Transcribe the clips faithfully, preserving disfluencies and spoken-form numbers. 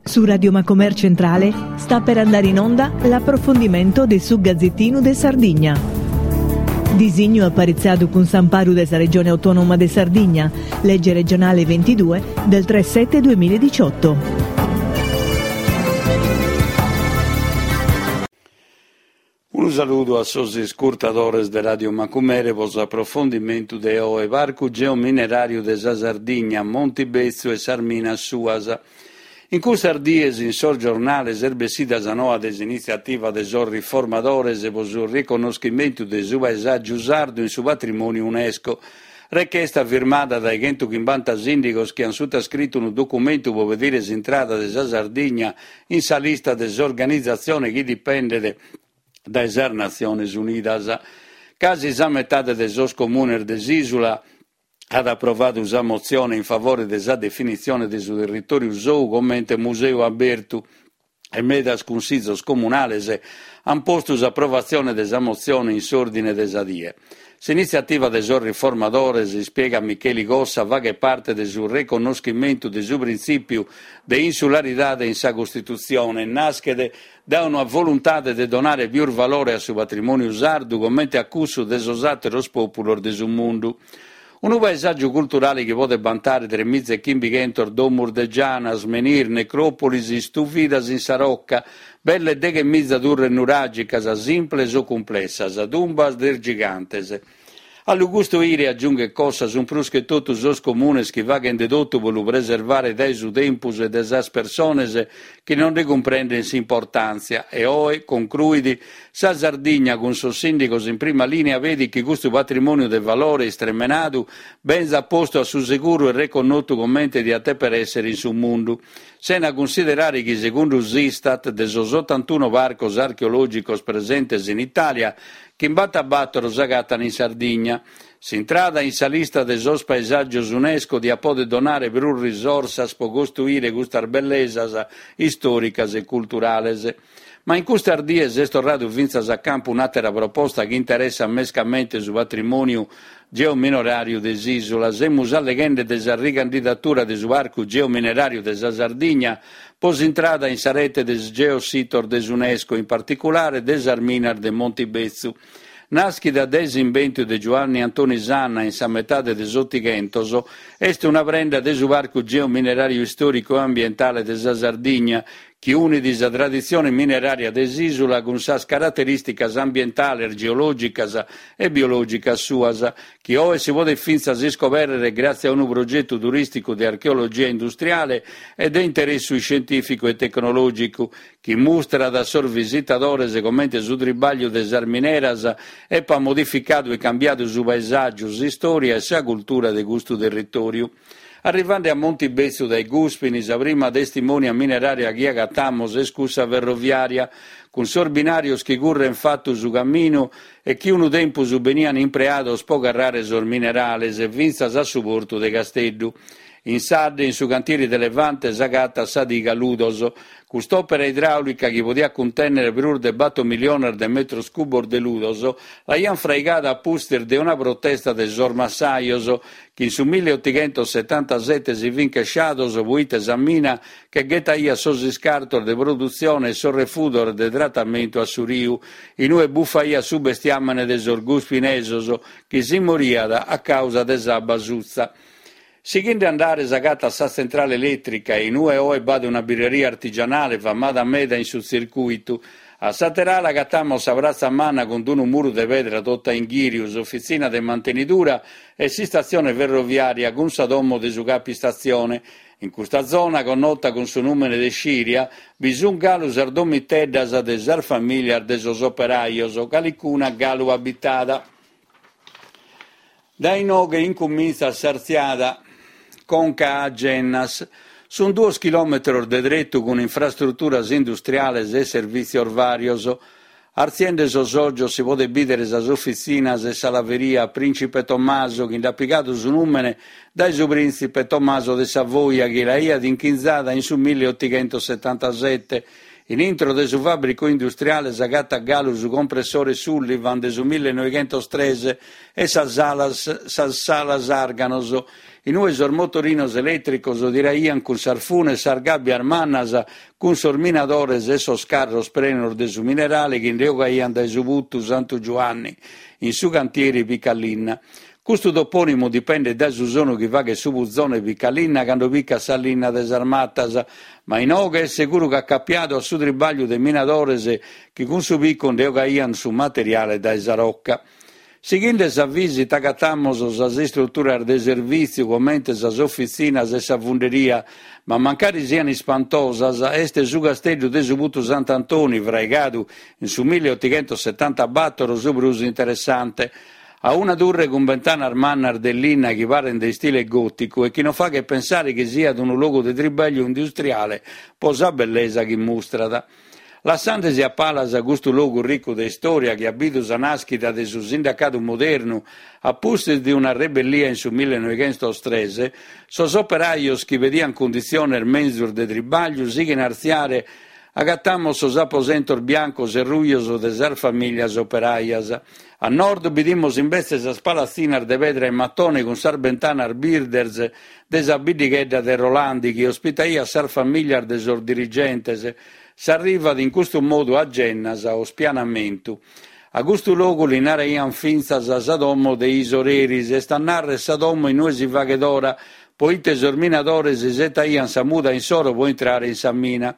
Su Radio Macomer Centrale sta per andare in onda l'approfondimento de su Gazzettinu de Sardigna. Disignu aparitzadu cun s'amparu de sa Regione Autonoma de Sardigna, legge regionale ventidue del tre sette duemiladiciotto. Unu saludu a sos iscurtadores de Radio Macumere pro s'aprofondimentu de oe, Parcu Geomineràriu de sa Sardigna, Monti Betzu e sas minas suas. In custas dies in sos giornales est bessida sa noa de s'initziativa de sos riformadores pro su riconnoschimentu de su paesàgiu sardu in su patrimòniu UNESCO. Rechesta firmada dae chentuchimbanta sìndigos chi ant sutascritu unu documentu pro pedire s'intrada de sa Sardigna in sa lista de s'organizatzione chi dipendet dae sas Natziones Unidas. Casi sa metade de sos comunes de s'ìsula at aprovadu sa motzione in favore de sa definitzione de su territòriu sou comente museu abertu e medas cunsizos comunales ant postu s'aprovatzione de sa motzione in s'òrdine de sa die. S'initziativa de sos riformadores, ispiegat Micheli Cossa, faghet parte de su reconnoschimentu de su printzìpiu de insularidade in sa Costitutzione e naschet dae una voluntade de donare pius valore a su patrimòniu sardu comente a cussu de sos àteros pòpulos de su mundu. Unu paesàgiu culturale chi podet bantare tres miza e chimbichentos domus de gianas, menhir, necròpolis istuvidas in sa roca, belle deghe miza turres nuràgicas, simples o cumplessas, tumbas de gigantes. A lu custoire, agiunghet Cossa, sunt prus che totu sos comunes chi faghent de totu pro lu preservare dae su tempus e dae sas persones chi non nde cumprendent s'importàntzia. E oe, concruit, sa Sardigna cun sos sìndigos in prima lìnea pedit chi custu patrimòniu de valore istremenadu benzat postu a su seguru e reconnotu comente diat dèpere èssere in su mundu, sena cunsiderare chi, segundu s'Istat, de sos otantuno parcos archeològicos presentes in Itàlia, chimbantabatoro s'agatan in Sardigna. S'intrada in sa lista de sos paesàgios UNESCO diat poder donare prus risorsas pro costruire custas bellesas istòricas e culturales. Ma in custas dies est torradu fintzas a campu un'àtera proposta chi interessat mescamente su patrimòniu geomineràriu de s'ìsula. Semus alleghende de sa ricandidatura de su Parcu Geomineràriu de sa Sardigna pro s'intrada in sa rete de geositos de s'UNESCO, in particulare de sas minas de Montibetzu. Nàschida dae s'imbentu de Giuanni Antoni Sanna in sa metade de s'Otighentos, est una prenda de su Parcu Geomineràriu Istòricu e Ambientale de sa Sardigna, chi unit sa traditzione minerària de s'ìsula cun sas caraterìsticas ambientales, geològicas e biològicas suas, chi oe si podet fintzas iscobèrrere gràtzie a unu progetu turìsticu de archeologia industriale e de interessu iscientìficu e tecnològicu, chi mustrat a sos visitadores comente su tribàgliu de sas mineras epat modificadu e cambiadu su paesàgiu, s'istòria e sa cultura de custu territòriu. Arrivende a Montibetzu dae Gùspini, sa prima testimonia minerària chi agatamos est cussa ferroviària, cun sos binàrios chi current fatu su caminu e chi unu tempus beniant impreados pro carrare sos minerales fintzas a su portu de Casteddu. In Sadde, in su cantieri de Levante, s'agatat sa diga Ludos. Cust'òpera idràulica, chi podiat cuntènnere prus de bator miliones de metros cubos de ludos, l'aiant fraigada a pustis de una protesta de sos massajos, chi in su milleotighentosetantasete si fint chesciados proite sa mina che ghetaiat sos iscartos de produtzione e sos refudos de tratamentu a su riu, in ue bufaiat su bestiàmene de sos guspinesos, chi si moriat a càusa de s'abba sutza. Sighende a andare s'agatat sa tzentrale elètrica, in ue oe b'at una birreria artigianale famada meda in su tzircùitu. A s'àtera ala agatamos sa Pratza Manna cun unu muru de pedra tota in ghìriu, s'ofitzina de mantenidura e s'istatzione ferroviària cun sa domo de su capistatzione. In custa zona, connota cun su nùmene de Sciria, bi sunt galu sas domiteddas de sas famìlias de sos operajos, calicuna galu abitada. Dae inoghe incumintzat s'artziada conca a Gennas. Sunt duos chilòmetros de tretu cun infrastruturas industriales e servìtzios vàrios. Artziende sos ògios si podet bìdere sas ofitzinas e sa laveria Prìncipe Tommaso, chi nd'at pigadu su nùmene dae su prìntzipe Tommaso de Savoia chi l'aiat inchinzada in su milleotighentosetantasete, In intro de su fàbricu industriale s'agatat galu su compressore Sullivan de su millenoighentos tres e sas salas, sas salas Arganos, in ue sos motorinos elètricos tiraiant cun sas funes sas gàbbias mannas cun sos minadores e sos carros prenos de su minerale chi nde 'ogaiant dae su putu Santu Giuanni, in su cantieri Picalinna. Custu topònimu dipendet dae su sonu chi faghet su puzone Picalinna cando picat sa linna de sas matas, ma inoghe est seguru ca acapiadu a su tribagliu de minadores chi cun su picu nde 'ogaiant su materiale dae sa roca. Sighende sa visita agatamos sas istruturas de servìtziu comente sas ofitzinas e sa funderia, ma mancari sian ispantosas, est su casteddu de su Putu Sant'Antoni, fraigadu in su milleotighentosetantabator, su prus interessante. A una turre cun bentanas mannas de linna chi parent de istile gòticu e chi non faghet pensare chi siat unu logu de tribagliu industriale pro sa bellesa chi mustrat. Lassandesi a palas custu logu ricu de istòria chi at bidu sa nàschida de su sindacadu modernu a pustis de una rebellia in su millenoighentos tres, sos operajos chi pediant cunditziones menzus de tribagliu sighin a artziare, agatamos sos aposentos biancos e rujos de sas famìlias operajas. A nord bidimos imbetze sas palatzinas de pedra e matone cun sas bentanas birdes de sa biddighedda de Rolandi chi ospitaiat sas famìlias de sos dirigentes. S'arrivat in custu modu a Gennas o Spianamentu. A custu logu li naraiant fintzas sa domo de is oreris, est a narrer sa domo in ue si faghet ora, poite sos minadores isetaiant sa muda insoro pro intrare in sa mina.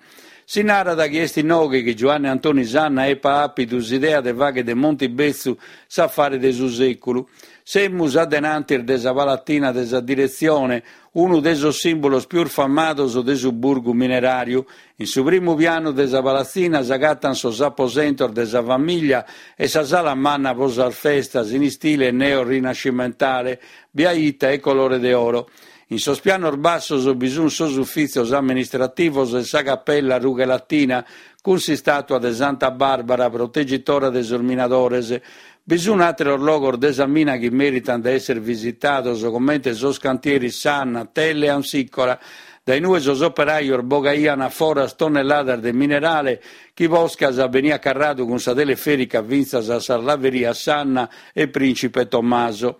Si narat chi est inoghe chi Giuanne Antoni Sanna epat àpidu s'idea de fagher de Montibetzu s'afare de su sèculu. Semus a denantis de sa palatina de sa diretzione, unu de sos sìmbulos pius famados de su burgu mineràriu. In su primu pianu de sa palatzina s'agatant sos aposentos de sa famìlia e sa sala manna pro sas festas in istile neorinascimentale, biaita e colore de oro. In sos pianos bassos bi sunt sos ufìtzios amministrativos e sa capella Rughe Latina cun s'istàtua de Santa Bàrbara, protegitora de sos minadores. Bi sunt àteros logos de sa mina chi meritant de èssere visitados, comente sos cantieris Sanna, Telle e Amsicora, dae inue sos operajos bogaiant a foras tonnelladas de minerale chi poscas beniat carradu cun sa telefèrica fintzas a sas laverias Sanna e Principe Tommaso.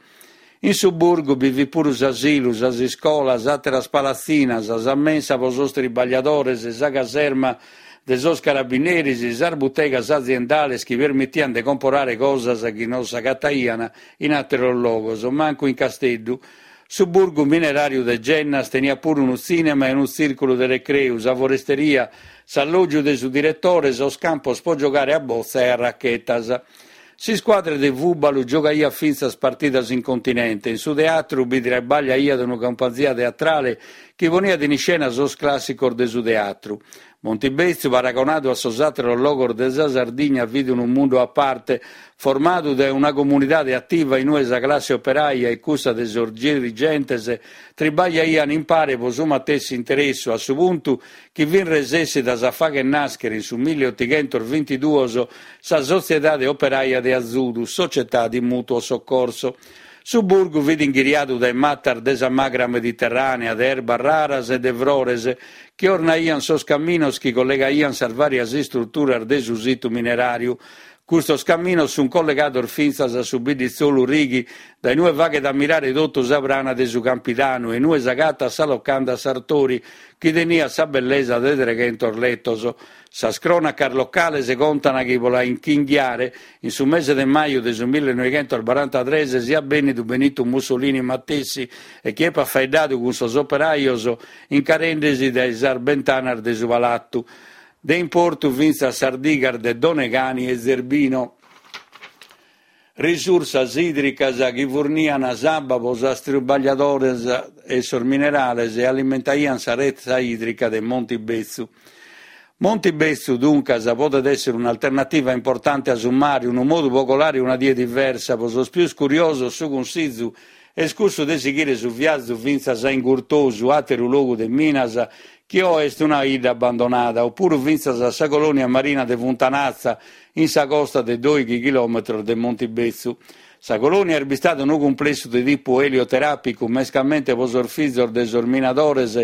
In su burgu bi fit puru s'asilu, sas iscolas, àteras palatzinas, sa mensa pro sos tribagliadores, sa caserma de sos carabineris, sas butegas aziendales chi permitiant de comporare cosas chi non s'agataiant in àteros logos, mancu in Casteddu. Su burgu mineràriu de Gennas teniat puru unu tzìnema e unu tzìrculu de recreu, sa foresteria, s'allògiu de su diretore, sos campos pro giogare a botza e a rachetas. S'iscuadra de fùbalu giogaiat fintzas partidas in continente. In su teatru bi trabagliaiat una cumpanzia teatrale chi poniat in iscena sos clàssicos de su teatru. Montibetzu, paragonadu a sos àteros logos de sa Sardigna, fit unu mundu a parte, formadu dae una comunidade ativa in ue sa classe operaia e cussa de sos dirigentes tribagliaiant impare pro su matessi interessu, a su puntu chi fin resessidas a fagher nàschere in su milleotighentos bintiduos sa Sotziedade Operaia de Azudu, Società di Mutuo Soccorso. Su burgu fit inghiriadu dae matas de sa magra mediterrànea, de erbas raras e de frores, chi ornaiant sos caminos chi collegaiant sas vàrias istruturas de su situ mineràriu. Custos caminos sunt collegados fintzas a su bidditzolu Righi, dae inue faghet a mirare totu sa prana de su Campidanu e inue s'agatat sa locanda Sartori, chi teniat sa bellesa de treghentos letos. Sas crònacas locales contant chi pro la inchinghiare, in su mese de maju de su millenoighentos barantatrès, siat bènnidu Benito Mussolini matessi e chi epat faeddadu cun sos operajos incarendesi dae sas bentanas de su palatu. De importu fintzas sas digas de Donegani e Zerbino. Risursas ìdricas chi forniant s'abba pro sos tribagliadores e sos minerales e alimentaiant sa retza ìdrica de Montibetzu. Montibetzu, duncas, podet èssere un'alternativa importante a su mare, unu modu pro colare una die diversa. Pro sos pius curiosos su cunsìgiu est cussu de sighire su viazu fintzas a Ingurtosu, àteru logu de minas chi oe est una 'idda abbandonada, opuru fintzas a sa colonia marina de Funtanatza, in sa costa de dòighi chilòmetros de Montibetzu. Sa colonia est bistada unu cumplessu de tipu elioteràpicu, mescamente pro sos fizos de sos minadores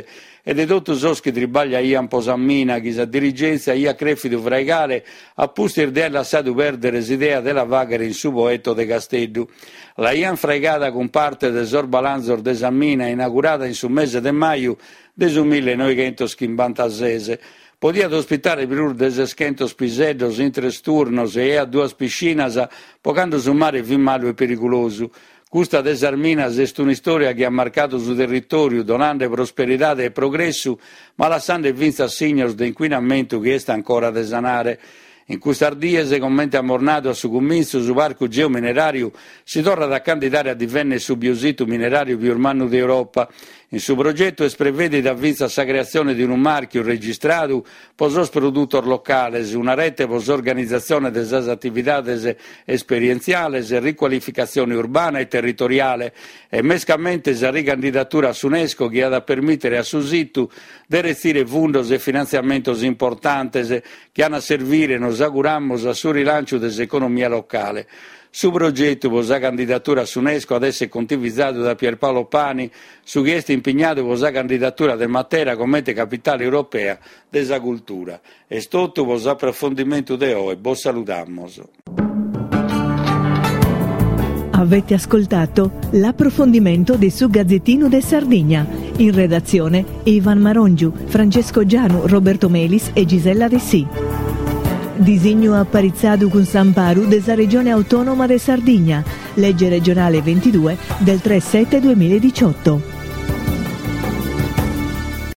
e de totu sos chi tribagliaian po sa mina chi sa dirigèntzia aiat crèfidu fraigare a pustis de aer lassadu pèrdere s'idea de la fàghere in su Poeto de Casteddu. L'aian fraigada cun parte de sos balanzos de sa mina inaugurada in su mese de maju de su millenòighentos chimbantases. Podiat ospitare prus de seschentos piseddos in tres turnos e aiat duas piscinas pro cando su mare fit malu e perigulosu. Custa de sas minas est un'istòria chi at marcadu su territòriu, donande prosperidade e progressu, ma lassande fintzas signos de incuinamentu chi est ancora de sanare. In custas dies, comente amus nadu a su cumintzu, su parcu geomineràriu si torrat a candidare a divènnere su biositu mineràriu pius mannu de Europa. In su progetu est prevèdida fintzas sa creatzione de unu màrchiu registradu pro sos produtos locales, una rete pro s'organizatzione de sas atividades esperientziales, ricualificatzione urbana e territoriale e mescamente sa ricandidatura a s'UNESCO chi at a permìtere a su situ de retzire fundos e finantziamentos importantes chi an a servire, nos auguramus, a su rilànciu de s'economia locale. Su progetu pro sa candidatura a s'UNESCO at èssere contivizadu da Pierpaolo Pani, su chi est impignadu pro sa candidatura de Matera comente capitale europea de sa cultura. Est totu pro s'aprofondimentu de oe. Bos saludamus. Avete ascoltato l'approfondimento di su Gazzettino de Sardigna. In redazione Ivan Marongiu, Francesco Gianu, Roberto Melis e Gisella Dessì. Disignu aparitzadu cun s'amparu de sa Regione Autonoma de Sardigna. Legge regionale ventidue del tre sette duemiladiciotto.